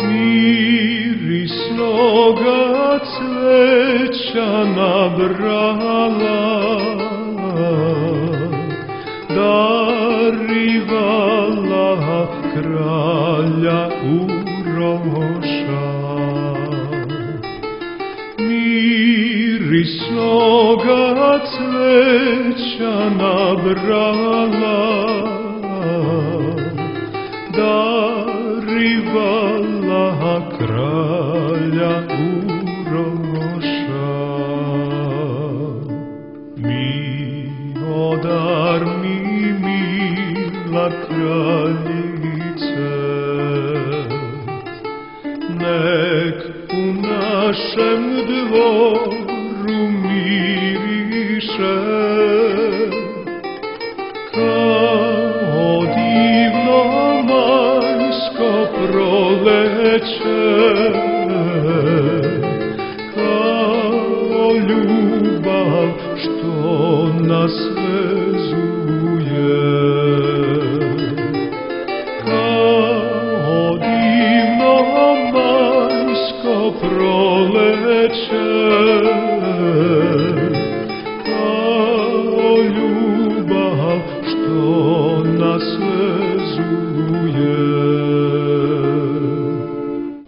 mirisnoga cveća nabrala, darivala kralja Uroša. Mirisnoga cveća nabrala, darivala kralja Uroša. Milodar mi, mila kraljice, nek u našem dvoru miriše kao divno majsko proleće, kao ljubav što nas vezuje, kao divno majsko proleće, kao ljubav što nas vezuje.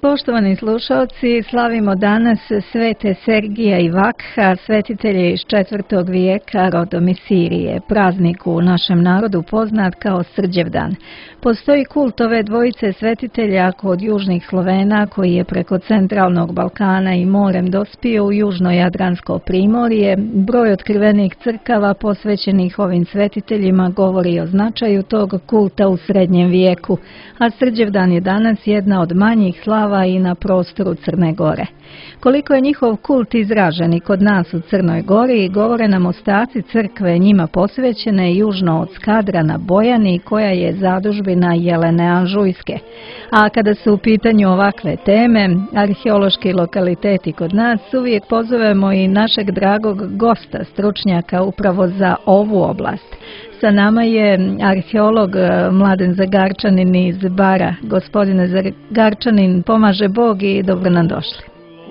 Poštovani slušalci, slavimo danas svete Sergija i Vakha, svetitelje iz 4. vijeka rodom iz Sirije, praznik u našem narodu poznat kao Srđevdan. Postoji kult ove dvojice svetitelja kod južnih Slovena koji je preko centralnog Balkana i morem dospio u južno Jadransko primorje. Broj otkrivenih crkava posvećenih ovim svetiteljima govori o značaju tog kulta u srednjem vijeku, a Srđevdan je danas jedna od manjih slava i na prostoru Crne Gore. Koliko je njihov kult izražen i kod nas u Crnoj Gori, govore nam ostaci crkve njima posvećene južno od Skadra na Bojani, koja je zadužbina Jelene Anžujske. A kada su u pitanju ovakve teme, arheološki lokaliteti kod nas, uvijek pozovemo i našeg dragog gosta, stručnjaka upravo za ovu oblast. Sa nama je arheolog Mladen Zagarčanin iz Bara. Gospodine Zagarčanin, pomaže Bog i dobro nam došli.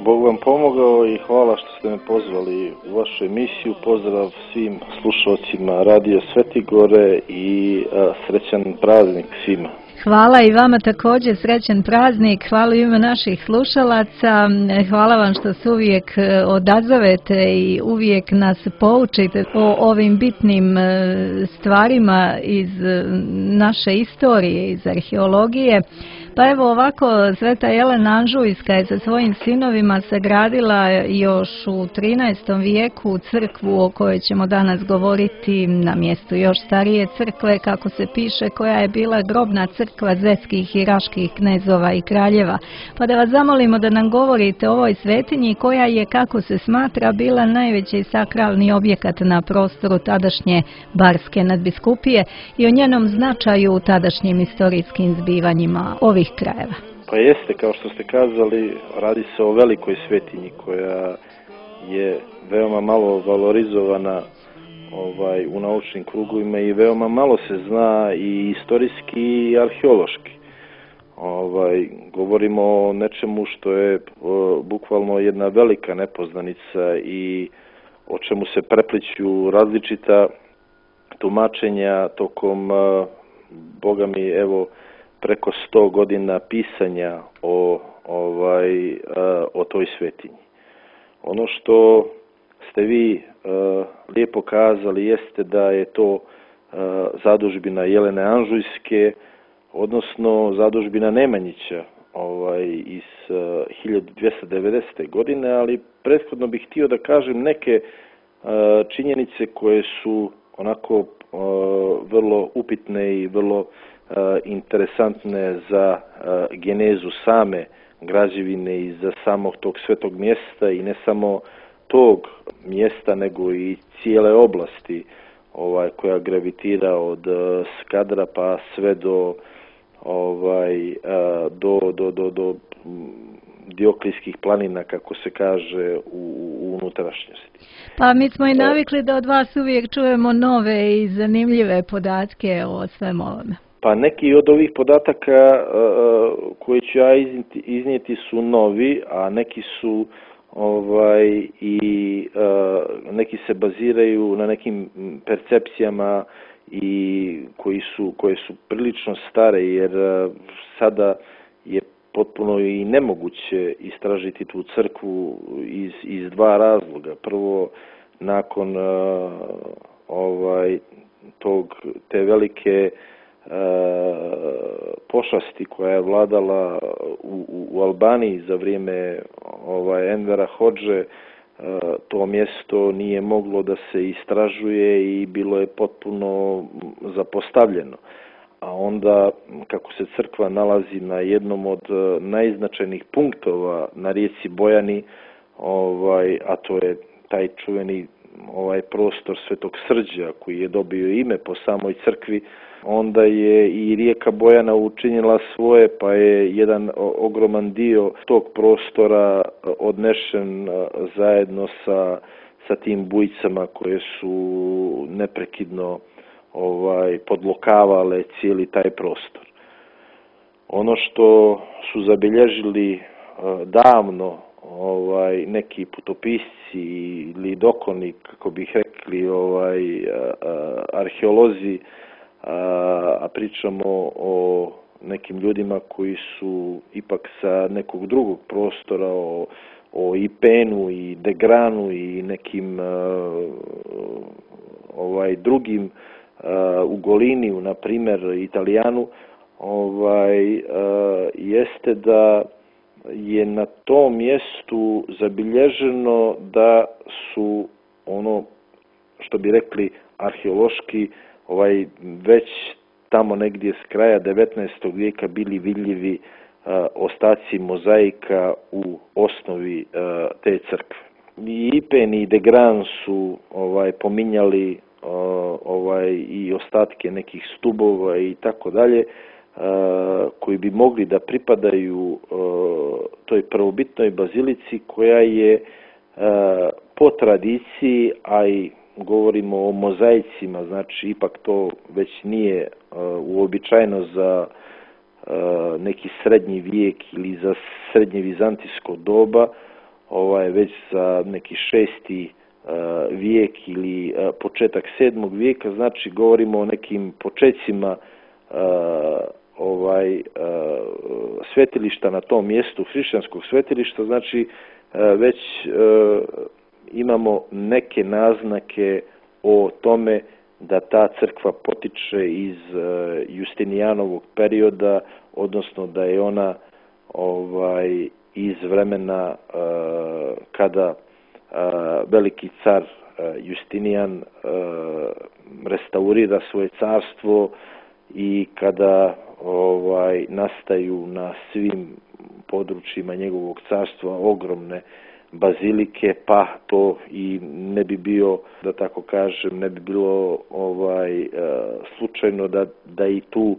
Bog vam pomogao i hvala što ste me pozvali u vašu emisiju. Pozdrav svim slušalcima Radio Svetigore i srećan praznik svima. Hvala i vama također, srećan praznik, hvala u ime naših slušalaca, hvala vam što se uvijek odazovete i uvijek nas poučite o ovim bitnim stvarima iz naše istorije, iz arheologije. Pa evo ovako, sveta Jelena Anžujska je sa svojim sinovima sagradila još u 13. vijeku crkvu o kojoj ćemo danas govoriti na mjestu još starije crkve, kako se piše, koja je bila grobna crkva zetskih i raških knezova i kraljeva. Pa da vas zamolimo da nam govorite o ovoj svetinji koja je, kako se smatra, bila najveći sakralni objekat na prostoru tadašnje Barske nadbiskupije i o njenom značaju u tadašnjim istorijskim zbivanjima ovih krajeva. Pa jeste, kao što ste kazali, radi se o velikoj svetinji koja je veoma malo valorizovana u naučnim krugovima i veoma malo se zna i istorijski i arheološki. Govorimo o nečemu što je bukvalno jedna velika nepoznanica i o čemu se prepliću različita tumačenja tokom, Boga mi, evo, preko 100 godina pisanja o toj svetinji. Ono što ste vi lijepo kazali jeste da je to zadužbina Jelene Anžujske, odnosno zadužbina Nemanjića iz 1290. godine, ali prethodno bih htio da kažem neke činjenice koje su onako vrlo upitne i vrlo interesantne za genezu same građevine i za samog tog svetog mjesta i ne samo tog mjesta nego i cijele oblasti koja gravitira od Skadra pa sve do Dioklijskih planina, kako se kaže, u unutrašnjosti. Pa mi smo i navikli da od vas uvijek čujemo nove i zanimljive podatke o svemu ovome. Pa neki od ovih podataka koje ću ja iznijeti su novi, a neki su neki se baziraju na nekim percepcijama i koje su prilično stare, jer sada je potpuno i nemoguće istražiti tu crkvu iz dva razloga. Prvo, nakon te velike pošasti koja je vladala u Albaniji za vrijeme Envera Hodže, to mjesto nije moglo da se istražuje i bilo je potpuno zapostavljeno. A onda, kako se crkva nalazi na jednom od najznačajnijih punktova na rijeci Bojani, a to je taj čuveni prostor Svetog Srđa koji je dobio ime po samoj crkvi, onda je i rijeka Bojana učinila svoje, pa je jedan ogroman dio tog prostora odnešen zajedno sa tim bujicama koje su neprekidno podlokavale cijeli taj prostor. Ono što su zabilježili davno neki putopisci ili dokoni, kako bih rekli, arheolozi, a pričamo o nekim ljudima koji su ipak sa nekog drugog prostora, o Ipenu i Degranu i nekim drugim Ugoliniju, na primjer Italijanu, jeste da je na tom mjestu zabilježeno da su, ono što bi rekli arheološki, već tamo negdje s kraja 19. vijeka bili vidljivi ostaci mozaika u osnovi te crkve. I Ipen i Degran su pominjali i ostatke nekih stubova i tako dalje, koji bi mogli da pripadaju toj prvobitnoj bazilici koja je po tradiciji, a i govorimo o mozaicima, znači ipak to već nije uobičajeno za neki srednji vijek ili za srednje vizantijsko doba, već za neki 6. vijek ili početak 7. vijeka, znači govorimo o nekim počecima svetilišta na tom mjestu, hrišćanskog svetilišta, znači već imamo neke naznake o tome da ta crkva potiče iz Justinijanovog perioda, odnosno da je ona iz vremena kada veliki car Justinijan restaurira svoje carstvo i kada nastaju na svim područjima njegovog carstva ogromne bazilike, pa to i ne bi bio, da tako kažem, ne bi bilo slučajno da i tu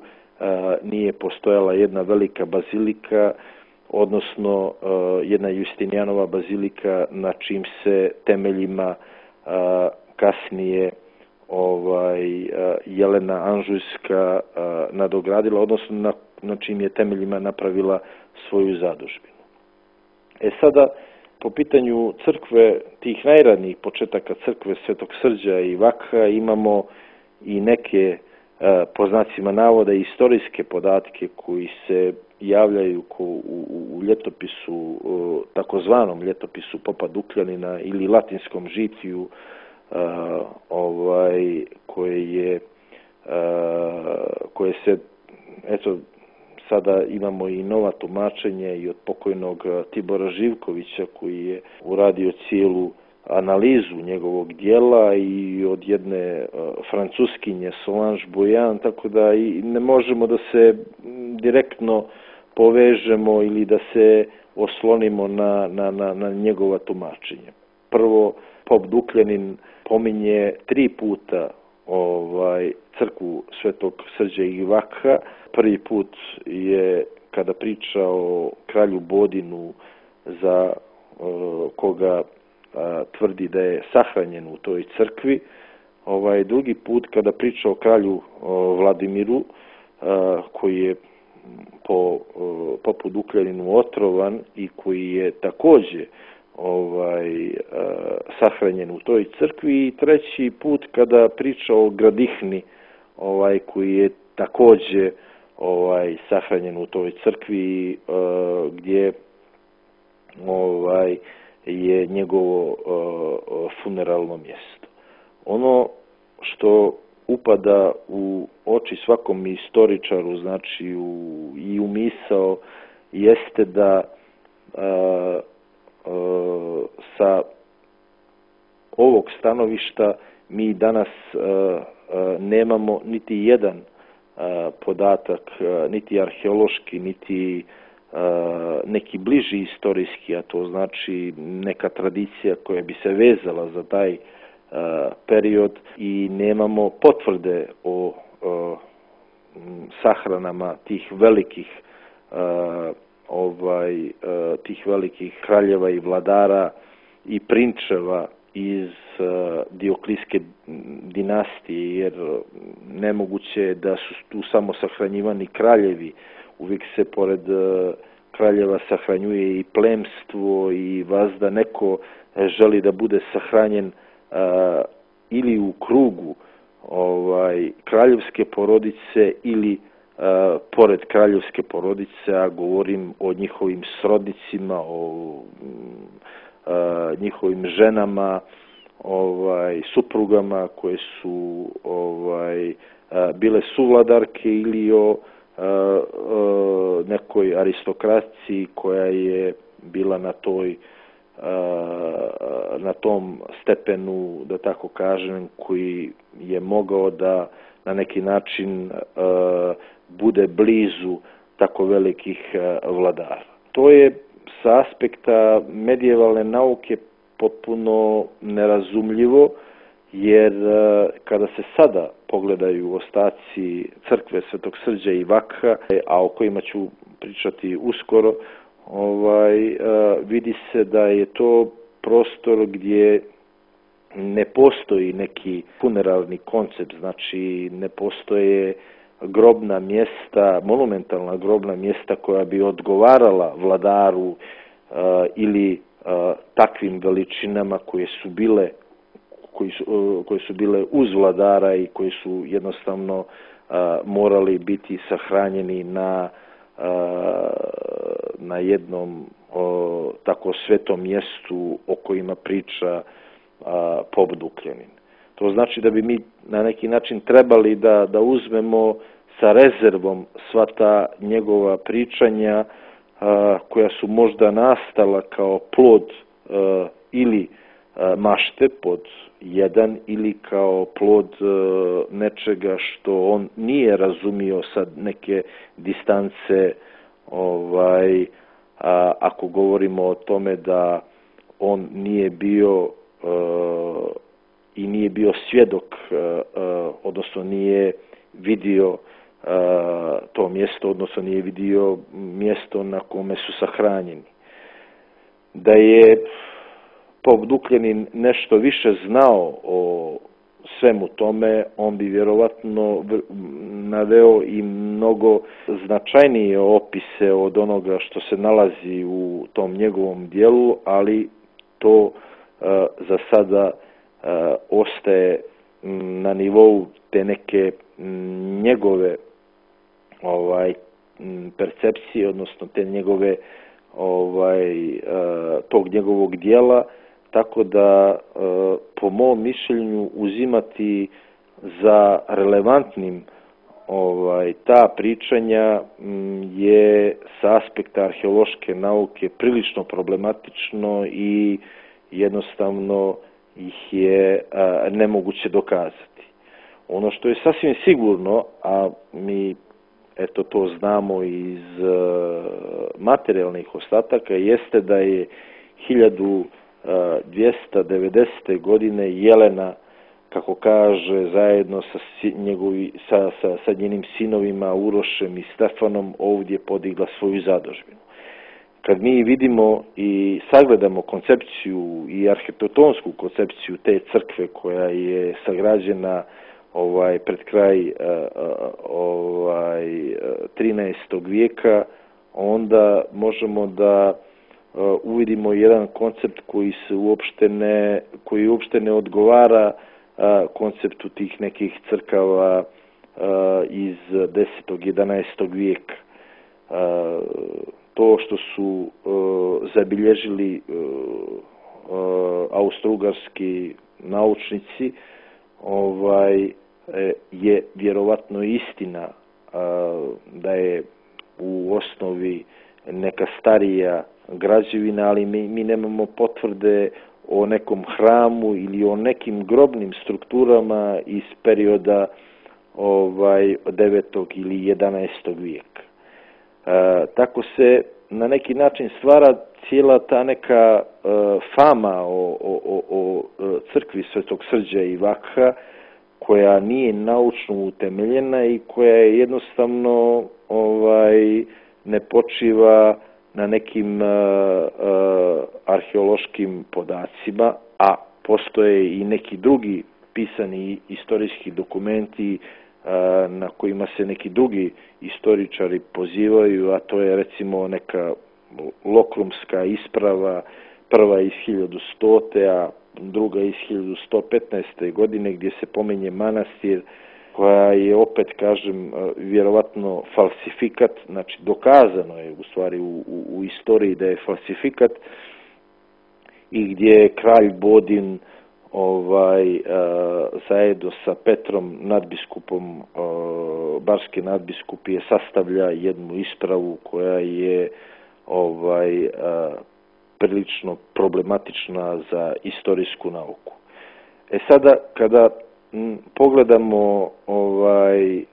nije postojala jedna velika bazilika, odnosno jedna Justinijanova bazilika na čim se temeljima kasnije Jelena Anžujska nadogradila, odnosno na čim je temeljima napravila svoju zadužbinu. Sada, po pitanju crkve, tih najranijih početaka crkve Svetog Srđa i Vakha, imamo i neke, po znacima navoda, istorijske podatke koji se javljaju u ljetopisu, takozvanom ljetopisu Popa Dukljanina ili latinskom žitiju, koje se, eto, sada imamo i nova tumačenja i od pokojnog Tibora Živkovića, koji je uradio cijelu analizu njegovog dijela, i od jedne francuskinje Solange Bouillon, tako da i ne možemo da se direktno povežemo ili da se oslonimo na njegova tumačenja. Prvo, Pop Dukljanin pominje 3 puta crkvu Svetog Srđa i Vakha. Prvi put je kada priča o kralju Bodinu, za koga tvrdi da je sahranjen u toj crkvi. Drugi put kada priča o kralju Vladimiru, koji je poput Ukljaninu otrovan i koji je također sahranjen u toj crkvi, i treći put kada priča o Gradihni, koji je također sahranjen u toj crkvi, gdje je njegovo funeralno mjesto. Ono što upada u oči svakom istoričaru, znači i u misao, jeste da sa ovog stanovišta mi danas nemamo niti jedan podatak, niti arheološki, niti neki bliži istorijski, a to znači neka tradicija koja bi se vezala za taj period, i nemamo potvrde o sahranama tih velikih kraljeva i vladara i prinčeva iz Dioklijske dinastije, jer nemoguće je da su tu samo sahranjivani kraljevi. Uvijek se pored kraljeva sahranjuje i plemstvo, i vazda neko želi da bude sahranjen ili u krugu kraljevske porodice ili pored kraljevske porodice, a govorim o njihovim srodnicima, o njihovim ženama, suprugama koje su bile suvladarke, ili o nekoj aristokraciji koja je bila na tom stepenu, da tako kažem, koji je mogao da na neki način bude blizu tako velikih vladara. To je sa aspekta medievalne nauke potpuno nerazumljivo, jer kada se sada pogledaju ostaci crkve Svetog Srđa i Vakha, a o kojima ću pričati uskoro, vidi se da je to prostor gdje ne postoji neki funeralni koncept, znači ne postoje grobna mjesta, monumentalna grobna mjesta koja bi odgovarala vladaru ili takvim veličinama koje su bile uz vladara i koji su jednostavno morali biti sahranjeni na jednom tako svetom mjestu o kojima priča pop Ukljanin. To znači da bi mi na neki način trebali da uzmemo sa rezervom sva ta njegova pričanja koja su možda nastala kao plod ili mašte pod jedan, ili kao plod nečega što on nije razumio sa neke distance, ako govorimo o tome da on nije bio i nije bio svjedok, odnosno nije vidio to mjesto, odnosno nije vidio mjesto na kome su sahranjeni. Da je pop Ukljanin nešto više znao o svemu tome, on bi vjerovatno naveo i mnogo značajnije opise od onoga što se nalazi u tom njegovom dijelu, ali to za sada ostaje na nivou te neke njegove percepcije, odnosno te njegove tog njegovog dijela, tako da po mom mišljenju uzimati za relevantnim ta pričanja je sa aspekta arheološke nauke prilično problematično i jednostavno ih je nemoguće dokazati. Ono što je sasvim sigurno, a mi to znamo iz materijalnih ostataka, jeste da je 1290. godine Jelena, kako kaže, zajedno sa njenim sinovima Urošem i Stefanom ovdje podigla svoju zadužbinu. Kad mi vidimo i sagledamo koncepciju i arhitektonsku koncepciju te crkve koja je sagrađena pred kraj 13. vijeka, onda možemo da uvidimo jedan koncept koji uopšte ne odgovara konceptu tih nekih crkava iz 10. 11. vijeka. To što su zabilježili austrougarski naučnici je vjerovatno istina da je u osnovi neka starija građevina, ali mi nemamo potvrde o nekom hramu ili o nekim grobnim strukturama iz perioda 9. ili 11. vijeka. Tako se na neki način stvara cijela ta neka fama o crkvi Svetog Srđa i Vakha, koja nije naučno utemeljena i koja je jednostavno ne počiva na nekim arheološkim podacima, a postoje i neki drugi pisani istorijski dokumenti na kojima se neki drugi istoričari pozivaju, a to je recimo neka Lokrumska isprava, prva iz 1100. a druga iz 1115. godine, gdje se pominje manastir, koja je, opet kažem, vjerovatno falsifikat, znači dokazano je u stvari u istoriji da je falsifikat, i gdje je kralj Bodin zajedno sa Petrom nadbiskupom barske nadbiskupije sastavlja jednu ispravu koja je prilično problematična za istorijsku nauku. Sada kada pogledamo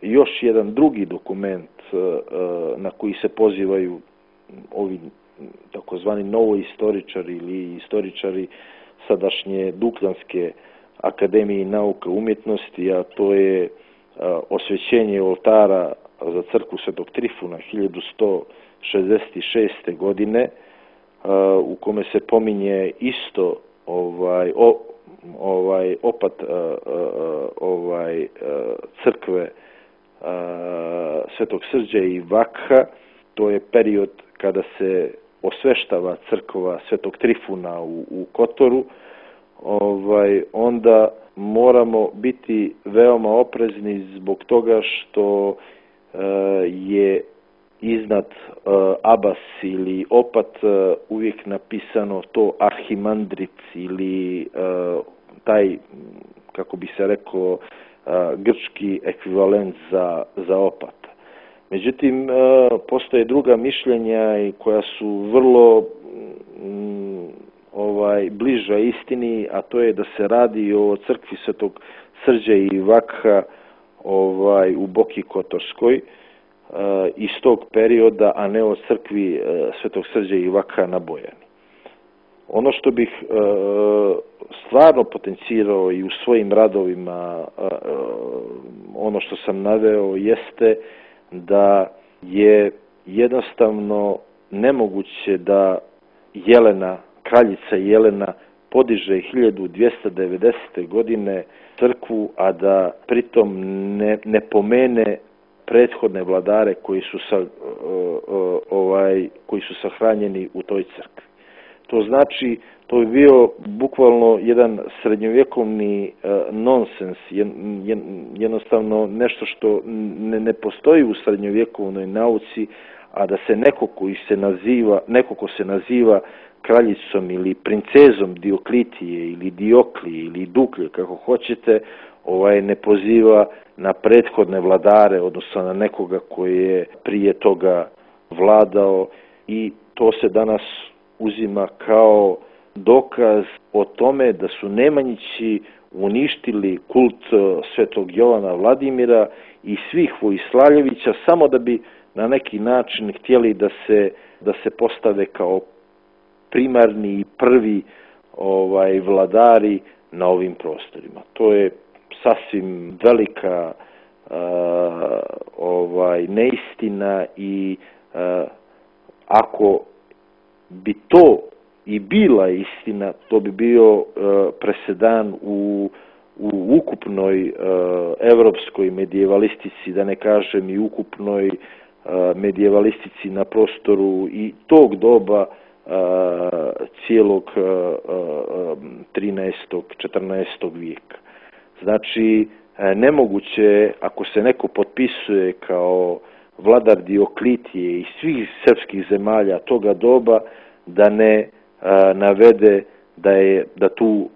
još jedan drugi dokument na koji se pozivaju ovi takozvani novoistoričari ili istoričari sadašnje Dukljanske akademije nauke umjetnosti, a to je osvećenje oltara za crkvu Svetog Trifuna 1166. godine, u kome se pominje isto opat crkve Svetog Srđa i Vakha. To je period kada se osveštava crkva Svetog Trifuna u Kotoru. Onda moramo biti veoma oprezni zbog toga što je iznad abas ili opat uvijek napisano to arhimandrit ili taj, kako bi se rekao, grčki ekvivalent za opat. Međutim, postoje druga mišljenja koja su vrlo bliža istini, a to je da se radi o crkvi Svetog Srđa i Vakha u Boki Kotorskoj iz tog perioda, a ne o crkvi Svetog Srđa i Vakha na Bojani. Ono što bih stvarno potencirao i u svojim radovima, ono što sam naveo, jeste da je jednostavno nemoguće da kraljica Jelena podiže 1290. godine crkvu, a da pritom ne pomene prethodne vladare koji su sahranjeni u toj crkvi. To znači, to je bio bukvalno jedan srednjovjekovni nonsens, jednostavno nešto što ne postoji u srednjovjekovnoj nauci, a da se neko ko se naziva kraljicom ili princezom Dioklitije ili Dioklije ili Duklje, kako hoćete, ne poziva na prethodne vladare, odnosno na nekoga koji je prije toga vladao, i to se danas uzima kao dokaz o tome da su Nemanjići uništili kult Svetog Jovana Vladimira i svih Vojislavljevića samo da bi na neki način htjeli da se postave kao primarni i prvi vladari na ovim prostorima. To je sasvim velika neistina i ako bi to i bila istina, to bi bio presedan u u ukupnoj evropskoj medijevalistici, da ne kažem i ukupnoj medijevalistici na prostoru i tog doba cijelog 13. 14. vijeka. Znači, nemoguće, ako se neko potpisuje kao vladar Dioklitije i svih srpskih zemalja toga doba, da ne navede da tu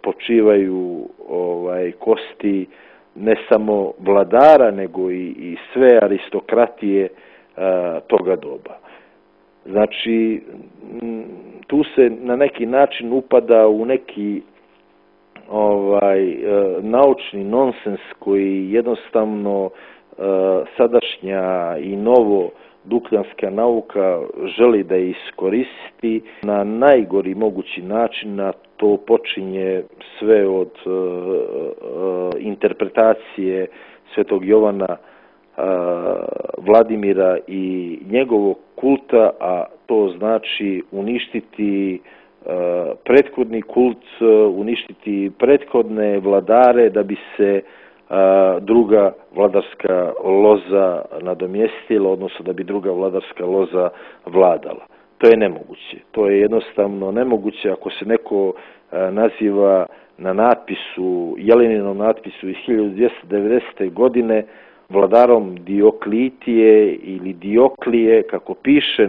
počivaju kosti ne samo vladara, nego i sve aristokratije toga doba. Znači, tu se na neki način upada u neki naučni nonsens koji jednostavno sadašnja i novo dukljanska nauka želi da iskoristi na najgori mogući način, a to počinje sve od interpretacije Svetog Jovana Vladimira i njegovog kulta, a to znači uništiti prethodni kult, uništiti prethodne vladare da bi se druga vladarska loza nadomjestila, odnosno da bi druga vladarska loza vladala. To je nemoguće. To je jednostavno nemoguće ako se neko naziva na natpisu, Jeleninom natpisu iz 1290. godine vladarom Dioklitije ili Dioklije, kako piše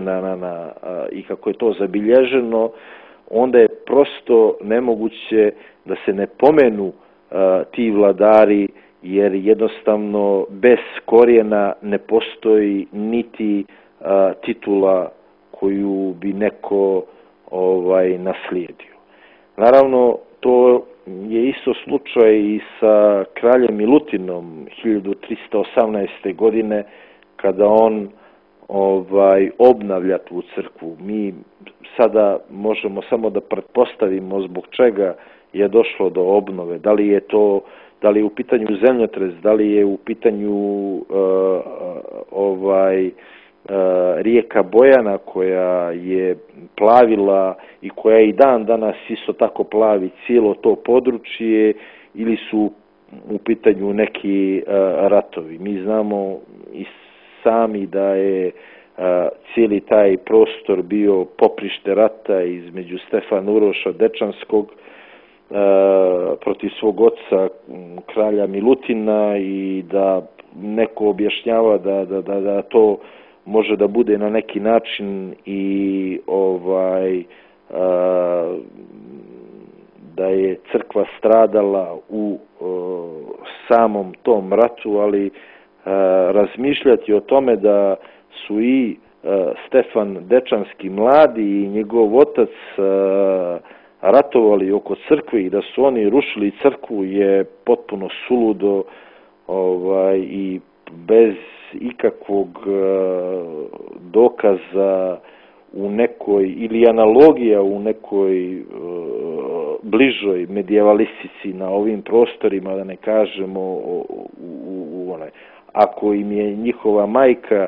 i kako je to zabilježeno, onda je prosto nemoguće da se ne pomenu ti vladari, jer jednostavno bez korijena ne postoji niti titula koju bi neko naslijedio. Naravno, to je isto slučaj i sa kraljem Milutinom 1318. godine, kada on obnavlja tu crkvu. Mi sada možemo samo da pretpostavimo zbog čega je došlo do obnove. Da li je u pitanju zemljotres, da li je u pitanju rijeka Bojana koja je plavila i koja i dan danas isto tako plavi cijelo to područje, ili su u pitanju neki ratovi. Mi znamo i sami da je cijeli taj prostor bio poprište rata između Stefana Uroša Dečanskog protiv svog oca kralja Milutina, i da neko objašnjava da to može da bude na neki način i da je crkva stradala u samom tom ratu, ali razmišljati o tome da su i Stefan Dečanski mladi i njegov otac ratovali oko crkve i da su oni rušili crkvu je potpuno suludo i bez ikakvog dokaza u nekoj, ili analogija u nekoj bližoj medijevalistici na ovim prostorima, da ne kažemo ako im je njihova majka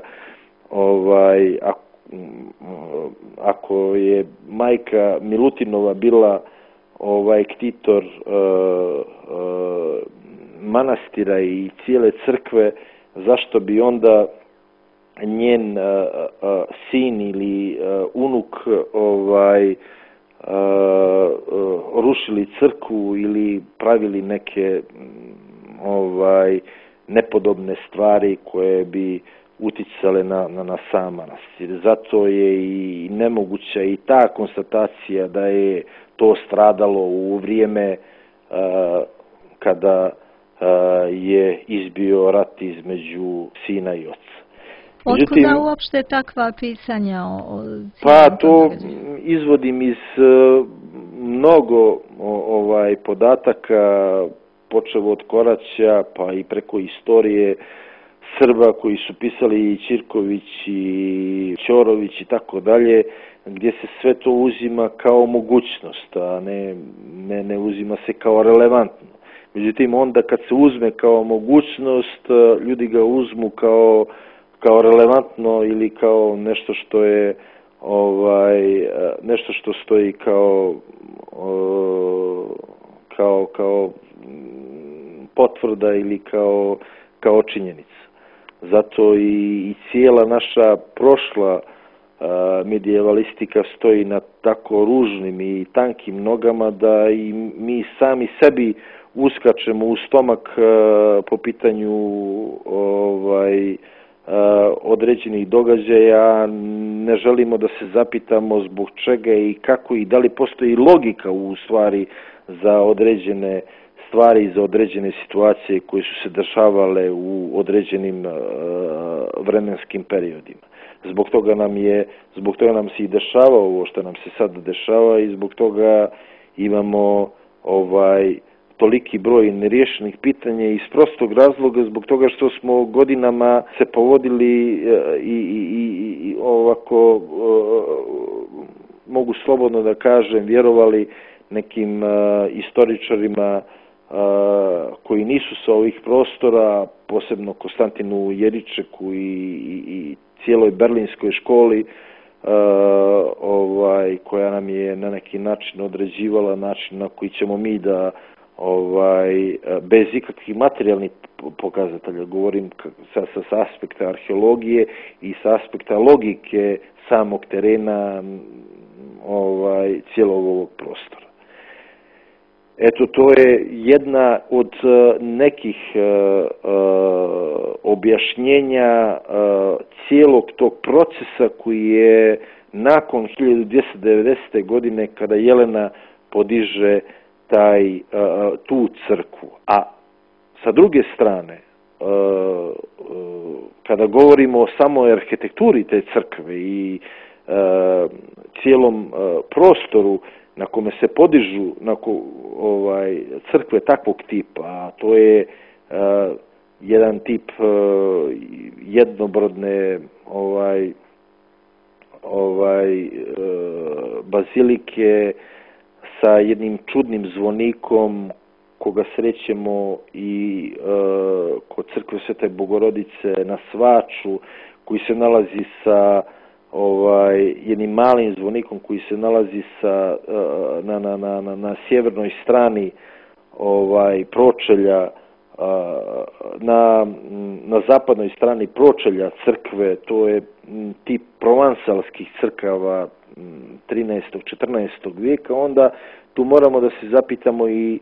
ako je majka Milutinova bila ktitor manastira i cijele crkve, zašto bi onda njen sin ili unuk rušili crkvu ili pravili neke nepodobne stvari koje bi uticale na sam manastir. Zato je i nemoguća i ta konstatacija da je to stradalo u vrijeme kada je izbio rat između sina i oca. Otkuda uopšte takva pisanja o pa to izvodim iz mnogo podataka, počev od Koraća pa i preko istorije Srba koji su pisali i Ćirković i Ćorović i tako dalje, gdje se sve to uzima kao mogućnost, a ne uzima se kao relevantno. Međutim, onda kad se uzme kao mogućnost, ljudi ga uzmu kao relevantno ili kao nešto što je nešto što stoji kao potvrda ili kao činjenica. Zato i cijela naša prošla medijevalistika stoji na tako ružnim i tankim nogama da i mi sami sebi uskačemo u stomak po pitanju određenih događaja, ne želimo da se zapitamo zbog čega i kako i da li postoji logika u stvari za određene stvari i za određene situacije koje su se dešavale u određenim vremenskim periodima. Zbog toga nam se i dešava ovo što nam se sad dešava i zbog toga imamo toliki broj neriješenih pitanja iz prostog razloga zbog toga što smo godinama se povodili i ovako mogu slobodno da kažem vjerovali nekim istoričarima koji nisu sa ovih prostora, posebno Konstantinu Jeričeku i cijeloj berlinskoj školi koja nam je na neki način određivala način na koji ćemo mi da bez ikakvih materijalnih pokazatelja, govorim sa aspekta arheologije i sa aspekta logike samog terena cijelog ovog prostora. Eto, to je jedna od nekih objašnjenja cijelog tog procesa koji je nakon 1290. godine kada Jelena podiže tu crkvu. A sa druge strane, kada govorimo o samoj arhitekturi te crkve i cijelom prostoru na kome se podižu crkve takvog tipa, a to je jedan tip jednobrodne bazilike sa jednim čudnim zvonikom koga srećemo i kod crkve Svete Bogorodice na Svaču, koji se nalazi sa jednim malim zvonikom koji se nalazi na sjevernoj strani pročelja, na zapadnoj strani pročelja crkve. To je tip provansalskih crkava 13. 14. vijeka. Onda tu moramo da se zapitamo i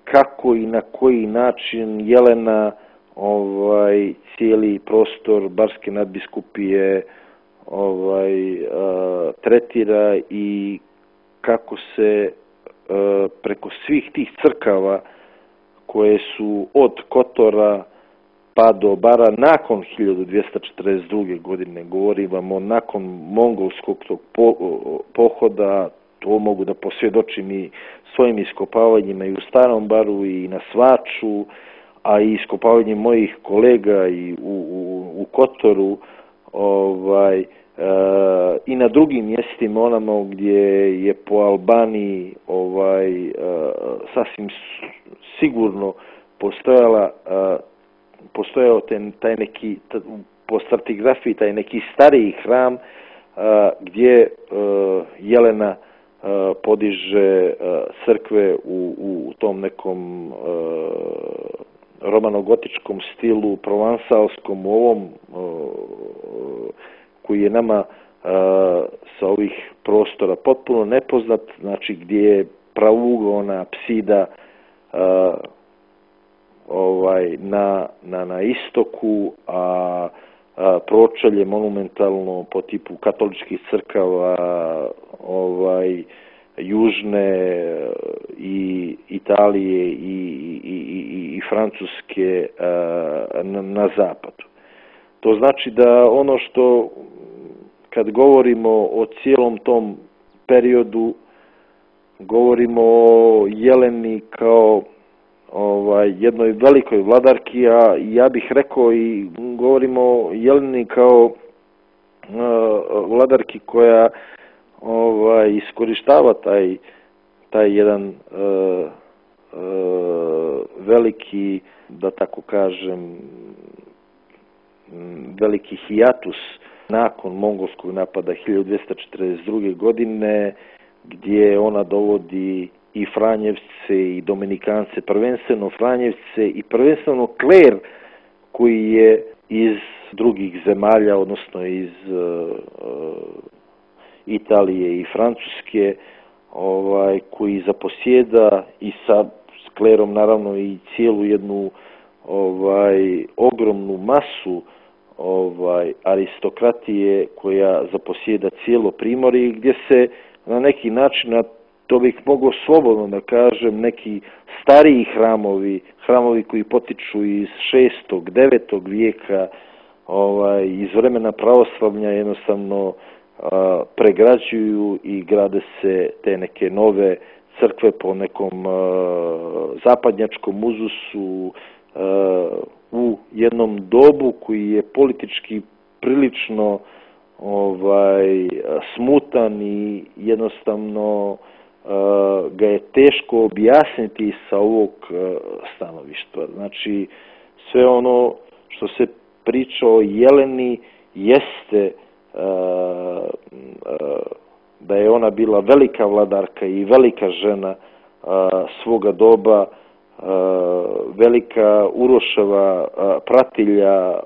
kako i na koji način Jelena cijeli prostor Barske nadbiskupije tretira i kako se preko svih tih crkava koje su od Kotora pa do Bara nakon 1242. godine, govorimo nakon mongolskog tog pohoda, to mogu da posvjedočim i svojim iskopavanjima i u Starom Baru i na Svaču, a i iskopavanjem mojih kolega i u Kotoru, i na drugim mjestima onamo gdje je po Albaniji sasvim sigurno postojao taj neki, po stratigrafiji, taj neki stariji hram gdje Jelena podiže crkve u tom nekom romanogotičkom stilu, provansalskom, u ovom koji je nama sa ovih prostora potpuno nepoznat, znači gdje je pravougona apsida na istoku, a pročelje monumentalno po tipu katoličkih crkava južne i Italije i Francuske na zapadu. To znači da ono što kad govorimo o cijelom tom periodu, govorimo o Jeleni kao jednoj velikoj vladarki, a ja bih rekao i govorimo o Jeleni kao vladarki koja iskorištava taj jedan veliki, da tako kažem, veliki hijatus nakon mongolskog napada 1242. godine, gdje ona dovodi i Franjevce i Dominikance, prvenstveno Franjevce i prvenstveno kler koji je iz drugih zemalja, odnosno iz Italije i Francuske, koji zaposjeda i sa klerom naravno i cijelu jednu ogromnu masu aristokratije koja zaposjeda cijelo Primorje, gdje se na neki način, a to bih mogao slobodno da kažem, neki stariji hramovi koji potiču iz 6. 9. vijeka, iz vremena pravoslavlja jednostavno pregrađuju i grade se te neke nove crkve po nekom zapadnjačkom uzusu u jednom dobu koji je politički prilično smutan i jednostavno ga je teško objasniti sa ovog stanovišta. Znači, sve ono što se priča o Jeleni jeste da je ona bila velika vladarka i velika žena svoga doba, velika Uroševa pratilja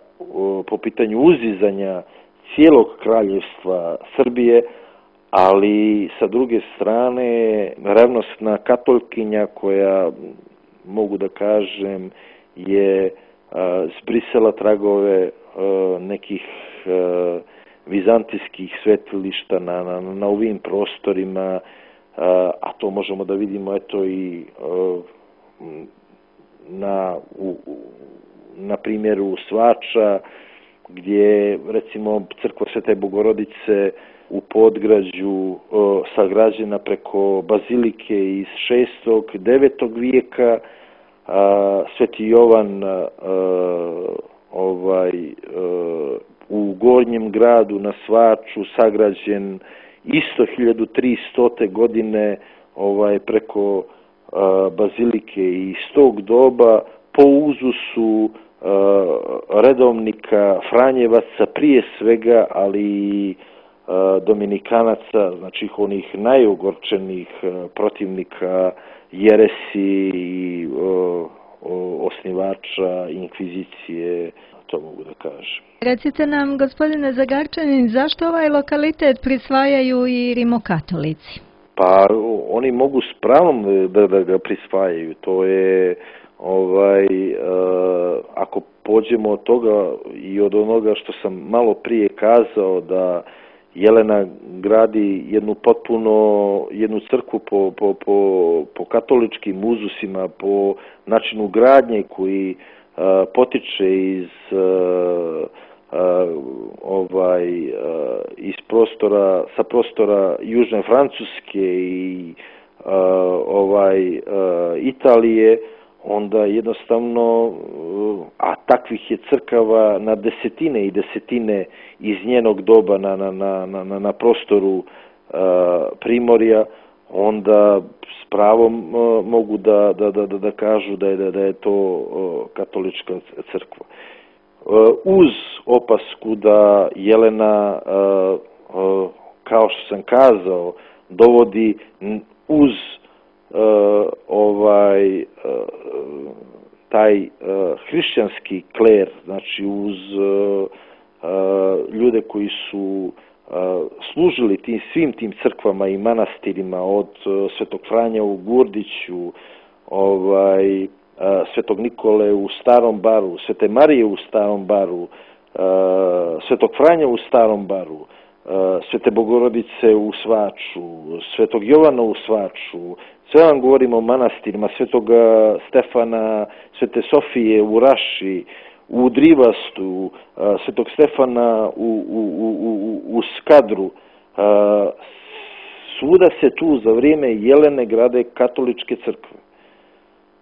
po pitanju uzizanja cijelog kraljevstva Srbije, ali sa druge strane revnosna katolkinja koja, mogu da kažem, je zbrisala tragove nekih vizantijskih svetilišta na ovim prostorima, a to možemo da vidimo eto i na primjeru Svača, gdje recimo crkva Svete Bogorodice u Podgrađu sagrađena preko bazilike iz 6. 9. vijeka, Sveti Jovan u Gornjem gradu na Svaču sagrađen isto 1300. godine preko bazilike iz tog doba po uzusu redovnika Franjevaca prije svega, ali i Dominikanaca, znači onih najogorčenih protivnika jeresi i osnivača inkvizicije, to mogu da kažem. Recite nam, gospodine Zagarčanin, zašto ovaj lokalitet prisvajaju i rimokatolici? Pa oni mogu s pravom da ga prisvajaju. To je, ako pođemo od toga i od onoga što sam malo prije kazao, da Jelena gradi jednu crkvu po katoličkim uzusima, po načinu gradnje koji potiče iz sa prostora južne Francuske i Italije, onda jednostavno, a takvih je crkava na desetine i desetine iz njenog doba na prostoru Primorja, onda s pravom mogu da kažu da je to katolička crkva. Uz opasku da Jelena, kao što sam kazao, dovodi uz taj hrišćanski kler, znači uz ljude koji su služili svim tim crkvama i manastirima, od Svetog Franja u Gurdiću, Svetog Nikole u Starom Baru, Svete Marije u Starom Baru, Svetog Franja u Starom Baru, Svete Bogorodice u Svaču, Svetog Jovana u Svaču, sve vam govorimo o manastirima, Svetog Stefana, Svete Sofije u Raši, u Drivastu, Svetog Stefana u Skadru. Svuda se tu za vrijeme Jelene grade katoličke crkve.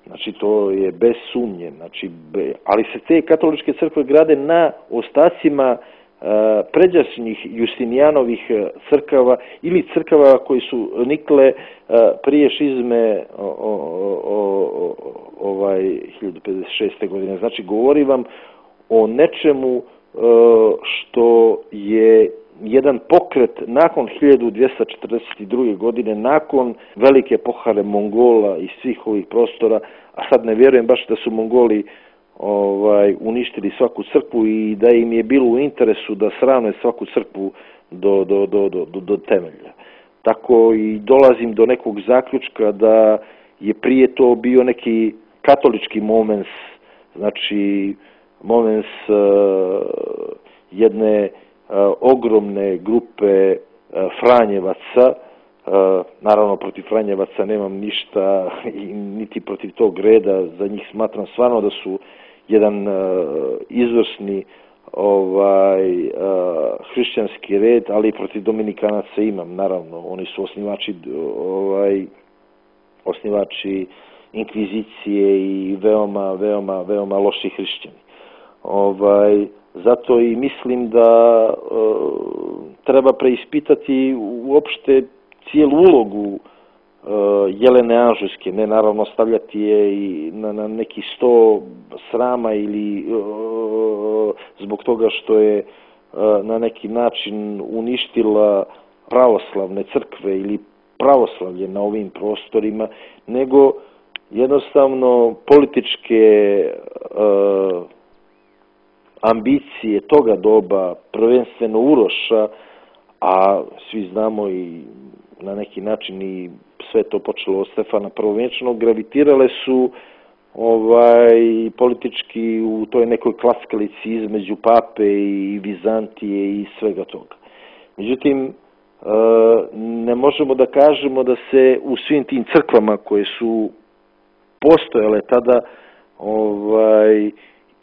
Znači, to je bez sumnje. Znači, ali se te katoličke crkve grade na ostacima pređašnjih Justinijanovih crkava ili crkava koji su nikle prije šizme 1056. godine. Znači, govori vam o nečemu što je jedan pokret nakon 1242. godine, nakon velike pohare Mongola iz svih ovih prostora, a sad ne vjerujem baš da su Mongoli uništili svaku crkvu i da im je bilo u interesu da sravne svaku crkvu do temelja. Tako i dolazim do nekog zaključka da je prije to bio neki katolički momens, znači momens jedne ogromne grupe Franjevaca. Naravno, protiv Franjevaca nemam ništa, niti protiv tog reda, za njih smatram stvarno da su jedan izvrsni hrišćanski red, ali i protiv Dominikanaca imam, naravno, oni su osnivači inkvizicije i veoma loši hrišćani. Zato i mislim da treba preispitati uopšte cijelu ulogu Jelene Anžujske, ne naravno stavljati je i na neki sto srama ili zbog toga što je na neki način uništila pravoslavne crkve ili pravoslavlje na ovim prostorima, nego jednostavno političke ambicije toga doba, prvenstveno Uroša, a svi znamo i na neki način i sve to počelo od Stefana Prvovjenčanog, gravitirale su politički u toj nekoj klackalici između pape i Vizantije i svega toga. Međutim, ne možemo da kažemo da se u svim tim crkvama koje su postojale tada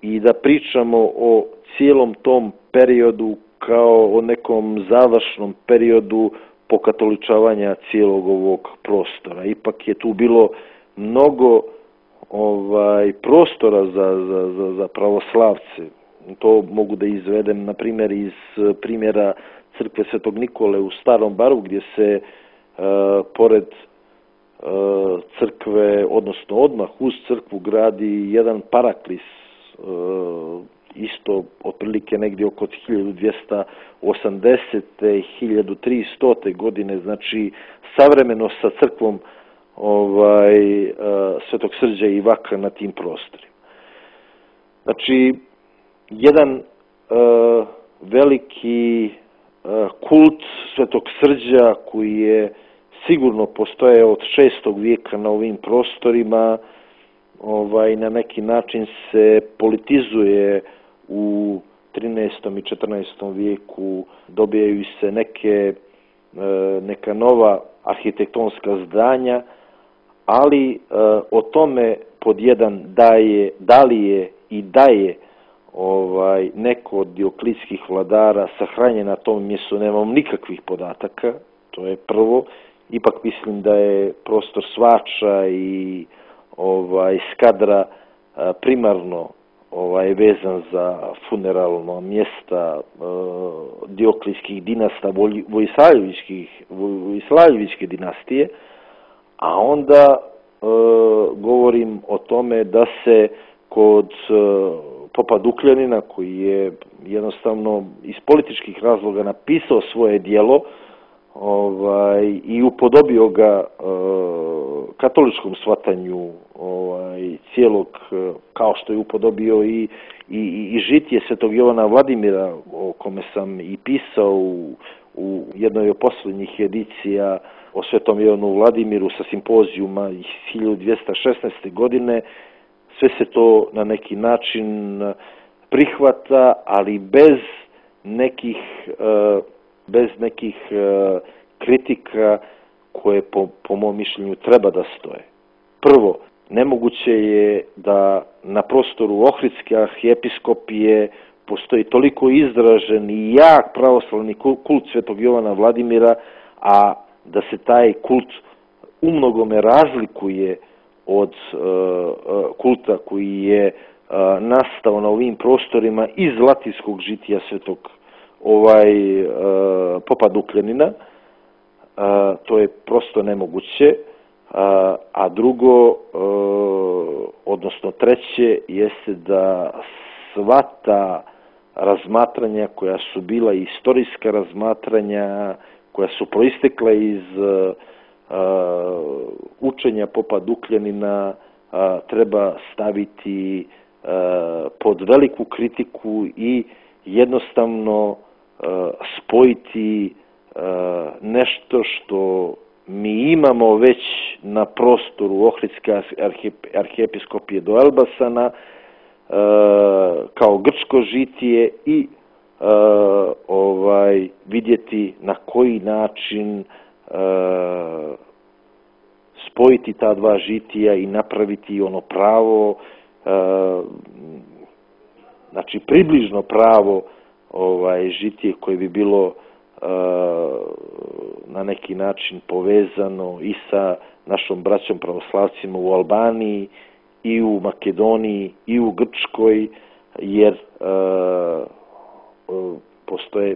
i da pričamo o cijelom tom periodu kao o nekom završnom periodu pokatoličavanja cijelog ovog prostora. Ipak je tu bilo mnogo prostora za pravoslavce. To mogu da izvedem, na primjer, iz primjera crkve Svetog Nikole u Starom Baru, gdje se pored crkve, odnosno odmah uz crkvu, gradi jedan paraklis, isto otprilike negdje oko 1280. i 1300. godine, znači savremeno sa crkvom Svetog Srđa i Ivaka na tim prostorima. Znači, jedan veliki kult Svetog Srđa koji je sigurno postojao od 6. vijeka na ovim prostorima, na neki način se politizuje u 13. i 14. vijeku, dobijaju se neka nova arhitektonska zdanja, ali o tome pod jedan da li je i daje neko od dioklitskih vladara sahranjen na tom mjestu, nemam nikakvih podataka, to je prvo. Ipak mislim da je prostor Svača i Skadra primarno vezan za funeralno mjesta dioklitskih dinasta, Vojislavljevićke dinastije, a onda govorim o tome da se kod popa Dukljanina, koji je jednostavno iz političkih razloga napisao svoje djelo i upodobio ga katoličkom shvatanju cijelog, kao što je upodobio i žitije Svetog Jovana Vladimira, o kome sam i pisao u jednoj od posljednjih edicija o Svetom Jovanu Vladimiru sa simpozijuma iz 1216. godine. Sve se to na neki način prihvata, ali bez nekih kritika koje po mom mišljenju treba da stoje. Prvo, nemoguće je da na prostoru Ohridske arhijepiskopije postoji toliko izražen i jak pravoslavni kult Svetog Jovana Vladimira, a da se taj kult umnogome razlikuje od kulta koji je nastao na ovim prostorima iz latinskog žitija Svetog popa Dukljanina. To je prosto nemoguće. A drugo, odnosno treće, jeste da sva ta razmatranja koja su bila istorijska razmatranja, koja su proistekla iz učenja popa Dukljanina, treba staviti pod veliku kritiku i jednostavno spojiti nešto što mi imamo već na prostoru Ohridske arhijepiskopije do Elbasana kao grčko žitije i vidjeti na koji način spojiti ta dva žitija i napraviti ono pravo, znači približno pravo žitije koje bi bilo na neki način povezano i sa našom braćom pravoslavcima u Albaniji i u Makedoniji i u Grčkoj, jer postoje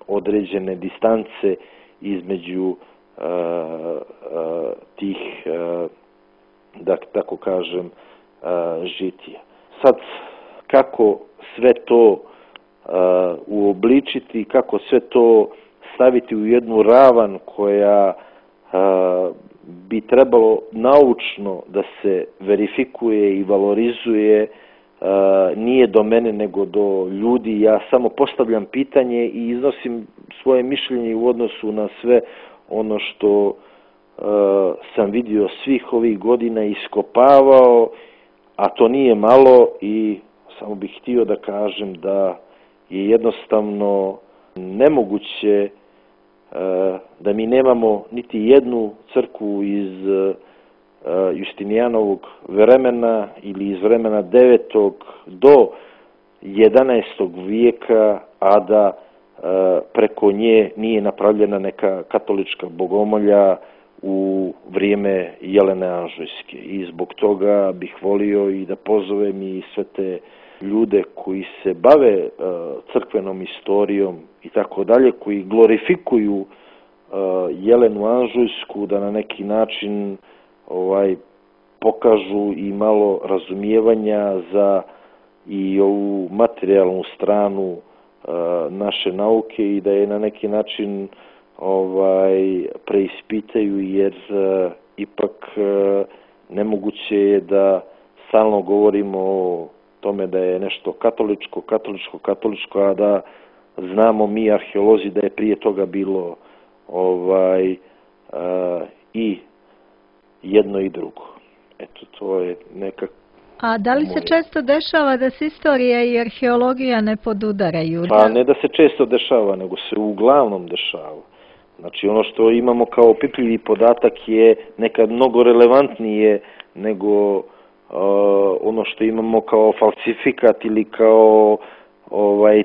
određene distance između tih, da tako kažem, žitija. Sad, kako sve to uobličiti, kako sve to staviti u jednu ravan koja bi trebalo naučno da se verifikuje i valorizuje, nije do mene nego do ljudi. Ja samo postavljam pitanje i iznosim svoje mišljenje u odnosu na sve ono što sam vidio svih ovih godina i iskopavao, a to nije malo, i samo bih htio da kažem da je jednostavno nemoguće da mi nemamo niti jednu crkvu iz Justinijanovog vremena ili iz vremena 9. do 11. vijeka, a da preko nje nije napravljena neka katolička bogomolja u vrijeme Jelene Anžujske. I zbog toga bih volio i da pozovem i sve te ljude koji se bave crkvenom istorijom i tako dalje, koji glorifikuju Jelenu Anžujsku, da na neki način pokažu i malo razumijevanja za i ovu materijalnu stranu naše nauke i da je na neki način preispitaju, jer ipak nemoguće je da stalno govorimo o tome da je nešto katoličko, a da znamo mi arheolozi da je prije toga bilo i jedno i drugo. Eto, to je nekako. A da li se često dešava da se istorija i arheologija ne podudaraju? Pa ne da se često dešava, nego se uglavnom dešava. Znači, ono što imamo kao opipljivi podatak je nekad mnogo relevantnije nego ono što imamo kao falsifikat ili kao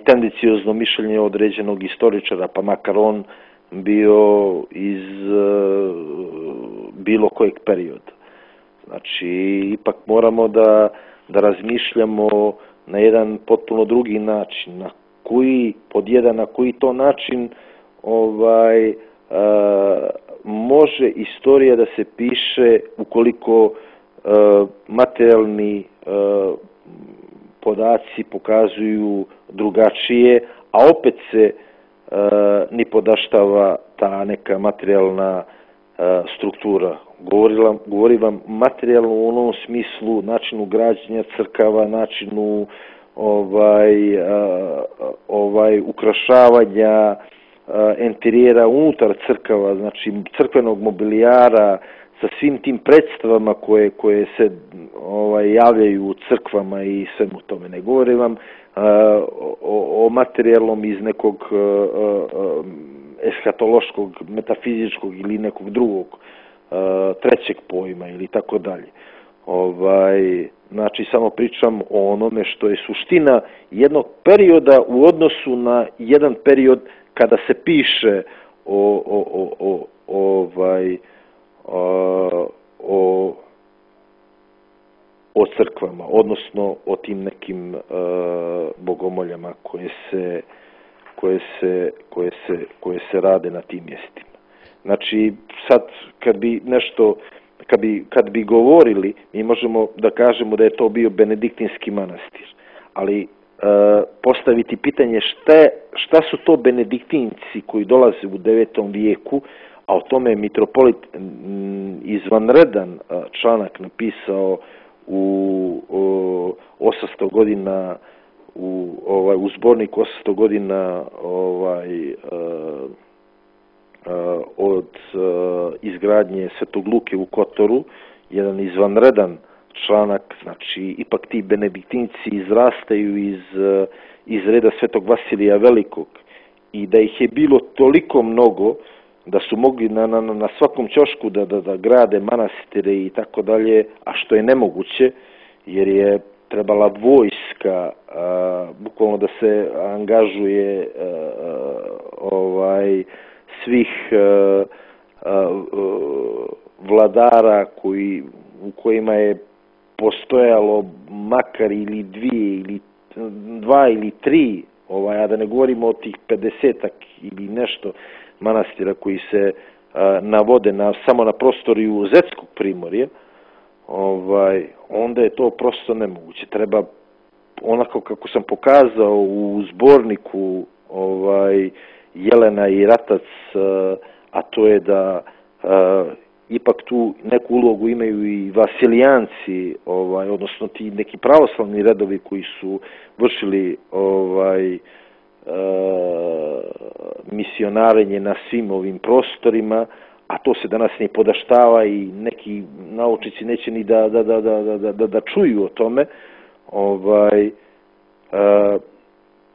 tendenciozno mišljenje određenog istoričara, pa makar on bio iz bilo kojeg perioda. Znači, ipak moramo da razmišljamo na jedan potpuno drugi način. Na koji to način može istorija da se piše ukoliko materijalni podaci pokazuju drugačije, a opet se ni podaštava ta neka materijalna struktura. Govorim vam materijalno u onom smislu, načinu građenja crkava, načinu ukrašavanja enterijera unutar crkava, znači crkvenog mobilijara, sa svim tim predstavama koje se javljaju u crkvama i svemu tome. Ne govorim vam o materijalnom iz nekog eshatološkog, metafizičkog ili nekog drugog trećeg pojma ili tako dalje. Znači, samo pričam o onome što je suština jednog perioda u odnosu na jedan period kada se piše o crkvama, odnosno o tim nekim bogomoljama koje se rade na tim mjestima. Znači, sad kad bi govorili, mi možemo da kažemo da je to bio benediktinski manastir, ali postaviti pitanje šta su to benediktinci koji dolaze u 9. vijeku, a o tome je mitropolit izvanredan članak napisao u 800 godina u zborniku 800 godina od izgradnje Svetog Luke u Kotoru, jedan izvanredan članak, znači ipak ti benediktinci izrastaju iz reda Svetog Vasilija Velikog i da ih je bilo toliko mnogo da su mogli na svakom ćošku da grade manastire i tako dalje, a što je nemoguće jer je trebala vojska bukvalno da se angažuje svih vladara u kojima je postojalo makar ili dva ili tri, a da ne govorimo o tih 50-ak ili nešto manastira koji se navode samo na prostoru Zetskog primorja, onda je to prosto nemoguće. Treba, onako kako sam pokazao u zborniku Jelena i Ratac, a to je da ipak tu neku ulogu imaju i vasilijanci, odnosno ti neki pravoslavni redovi koji su vršili misionarenje na svim ovim prostorima, a to se danas ne podaštava i neki naučnici neće ni da čuju o tome.